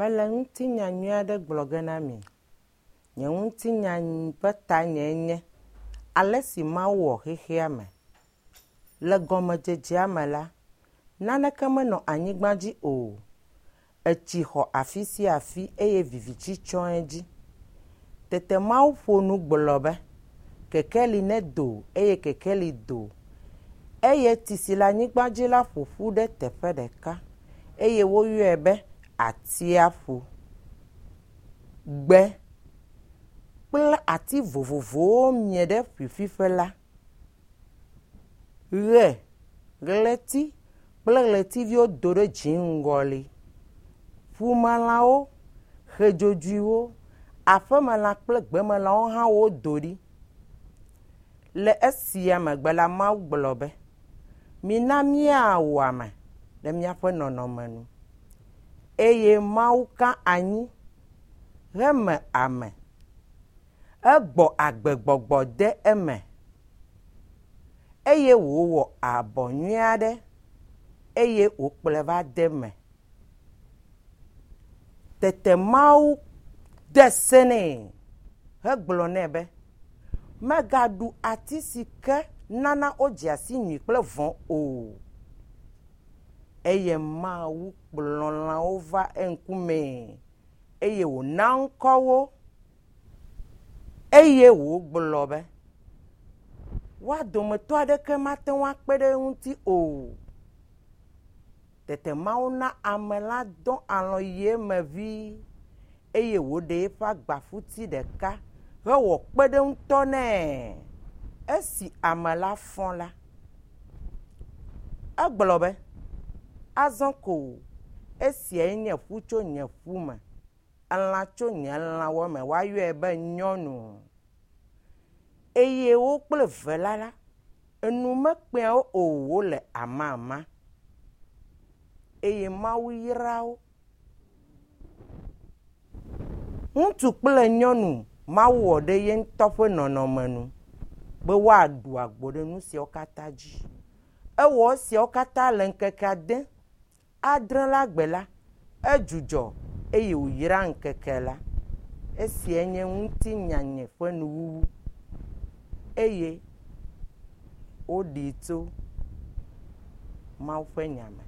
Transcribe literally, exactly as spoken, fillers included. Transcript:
Mele ŋutinya nyui aɖe gblɔ ge na mi. Nye ŋutinya ƒe tanyae nye ale si Mawu wɔ xexea me. Le gɔmedzedzea me la, naneke menɔ anyigba dzi o. Etsi xɔ afi sia afi eye viviti tsyɔ edzi. Tete Mawu ƒo nu gblɔ be, kekeli nedo eye kekeli do. Eye tsi si le anyigba dzi la ƒo ƒu ɖe teƒe ɖeka eye woyɔe be atsiaƒu. Gbe kple ati vovovowo mie ɖe ƒiƒiƒe la. Ʋe, ɣleti kple ɣletiviwo do ɖe dziŋgɔli. Ƒumelãwo, ʋe dzodzoewo, aƒemelã kple gbemelãwo hã wodo ɖi. Le esia megbe la, Mawu gblɔ be, mina míawɔ ame ɖe míaƒe nɔnɔme nu. Eye Mawu ka anyi heme ame. Egbɔ agbegbɔgbɔ de eme eye wòwɔ abɔ nyui aɖe eye wòkplɔe va de eme. Tete Mawu de se nɛ hegblɔ nɛ be, megaɖu ati si ke nana wodzea si nyui kple vɔ̃ o. Eye Mawu kplɔ lãwo va eŋkumee eye wòna ŋkɔ wo eye wògblɔ be, woa dometɔ aɖeke mate ŋu akpe ɖe eŋuti o. Tete Mawu na ame la dɔ alɔ̃ yi eme ʋĩi eye wòɖe eƒe agbaƒuti ɖeka hewɔ kpeɖeŋutɔ nɛ. Esi ame la fɔ la, egblɔ be, azɔ ko esiae nye ƒu tso nye ƒu me, elã tso nye lãwo me, woayɔe be nyɔnu. Eye wo kple ve la la, enu mekpea wo o wole amama. Eye Mawu yra wo. Ŋutsu kple nyɔnu Mawu wɔ ɖe ye ŋutɔ ƒe nɔnɔme nu be woaɖu agbo ɖe nu siawo katã dzi. Ewɔ esiawo katã le ŋkeke ade. Adre la gbe la, edzudzɔ eye wòyra ŋkeke la. Esiae nye ŋutinya nye ƒe nuwuwu eye woɖee tso Mawu ƒe nya me.